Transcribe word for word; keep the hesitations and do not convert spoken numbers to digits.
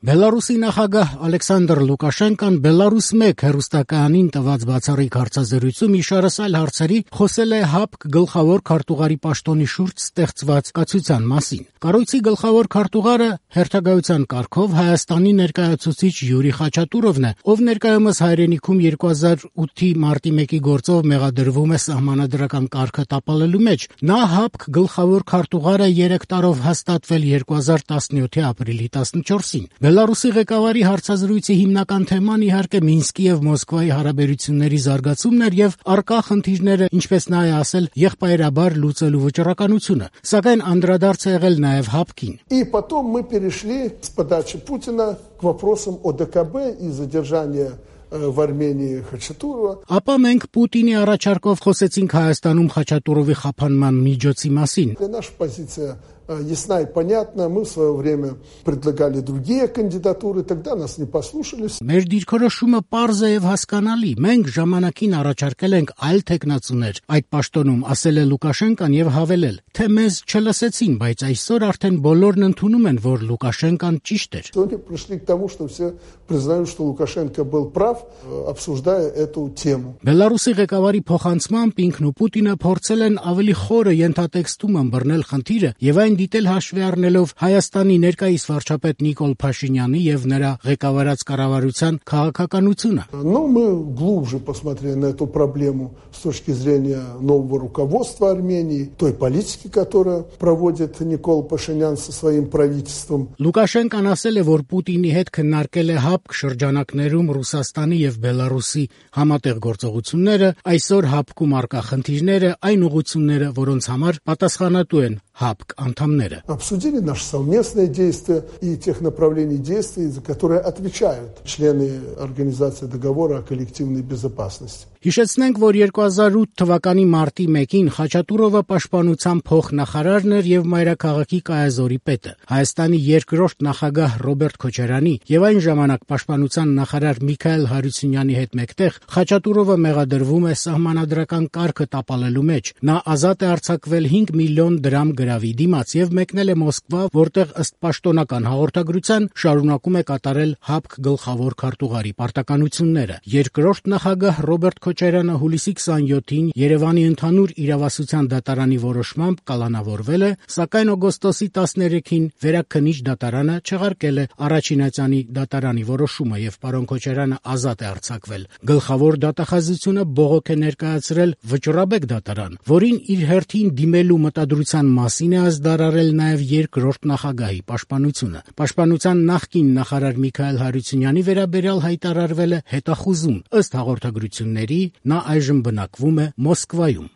Բելարուսի նախագահ Ալեքսանդր Լուկաշենկան Բելարուս մեկ հեռուստակայանին տված բացառիկ հարցազրույցում իշարս այլ հարցերի խոսել է ՀԱՊԿ գլխավոր քարտուղարի պաշտոնի շուրջ ստեղծված կացության մասին։ Կառույցի գլխավոր քարտուղարը հերթագայության կարգով Հայաստանի ներկայացուցիչ Յուրի Խաչատուրովն է, ով ներկայումս հայրենիքում երկու հազար ութի մարտի մեկի գործով մեղադրվում է սահմանադրական կարգը տապալելու մեջ։ Նա ՀԱՊԿ գլխավոր քարտուղար է երեք տարով հաստատվել երկու հազար տասնյոթի ապրիլի տասնչորսին։ Բելարուսի ղեկավարի հարցազրույցի հիմնական թեման իհարկե Մինսկի եւ Մոսկվայի հարաբերությունների զարգացումն էր եւ առկա խնդիրները, ինչպես նա է ասել, եղբայրաբար լուծելու վճռականությունը, սակայն անդրադարձ է եղել նաեւ ՀԱՊԿ-ին։ И потом мы перешли с подачи Путина к вопросам о ДКБ и задержания в Армении Խաչատուրովը։ Ապա մենք Պուտինի առաջարկով խոսեցինք Հայաստանում Խաչատուրովի խափանման միջոցի մասին։ Наша позиция ясна и понятна. Мы в свое время предлагали другие кандидатуры, тогда нас не послушались. Մեր դիրքորոշումը պարզ է եւ հասկանալի։ Մենք ժամանակին առաջարկել ենք այլ տեխնացուներ այդ պաշտոնում, ասել է Լուկաշենկան եւ հավելել, թե մեզ չլսեցին, բայց այսօր արդեն բոլորն ընդունում են, որ Լուկաշենկան ճիշտ էր։ Сегодня пришли к тому, что все признают, что Лукашенко был прав, обсуждая эту тему. Բելարուսի ղեկավարի փոխանցմամբ ինքն ու Պուտինը փորձել են ավելի խորը ենթատեքստում ըմբռնել խնդիրը եւ այն դիտել հաշվի առնելով Հայաստանի ներկայիս վարչապետ Նիկոլ Փաշինյանի եւ նրա ղեկավարած կառավարության քաղաքականությունը։ Но мы глубже посмотрели на эту проблему с точки зрения нового руководства Армении, той политики, которую проводит Никол Пашинян со своим правительством. Լուկաշենկան ասել է, որ Պուտինի հետ քննարկել է ՀԱՊԿ շրջանակներում Ռուսաստանի եւ Բելարուսի համատեղ գործողությունները, այսօր ՀԱՊԿ-ում առկա խնդիրները, այն ուղղությունները, որոնց համար պատասխանատու են ՀԱՊԿ անդամները։ Обсудили наши совместные действия и тех направлений действий, за которые отвечают члены Организации договора о коллективной безопасности. Հիշեցնենք, որ երկու հազար ութ թվականի մարտի մեկին Խաչատուրովը պաշտպանության փոխնախարարն էր եւ մայրաքաղաքի կայազորի պետը։ Հայաստանի երկրորդ նախագահ Ռոբերտ Քոչարյանի եւ այն ժամանակ պաշտպանության նախարար Միքայել Հարությունյանի հետ մեկտեղ Խաչատուրովը մեղադրվում է սահմանադրական կարգը տապալելու մեջ։ Նա ազատ է արձակվել հինգ միլիոն դրամ գրավի դիմաց եւ մեկնել է Մոսկվա, որտեղ ըստ պաշտոնական հաղորդագրության շարունակում է կատարել ՀԱՊԿ գլխավոր քարտուղարի պարտականությունները։ Երկրորդ նախագահ Ռոբերտ Քոչարյանը հուլիսի քսանյոթին Երևանի ընդհանուր իրավասության դատարանի որոշմամբ կալանավորվել է, սակայն օգոստոսի տասներեքին Վերաքննիչ դատարանը չեղարկել է առաջինացյանի դատարանի որոշումը եւ պարոն Քոչարյանը ազատ է արձակվել։ Գլխավոր դատախազությունը բողոք է ներկայացրել Վճռաբեկ դատարան, որին իր հերթին դիմելու մտադրության մասին է ազդարարել նաեւ երկրորդ նախագահի պաշտպանությունը։ Պաշտպանության նախկին նախարար Միքայել Հարությունյանի վերաբերյալ հայտարարվել է հետախուզում, ըստ հաղորդագրությունների նա այժմ բնակվում է Մոսկվայում։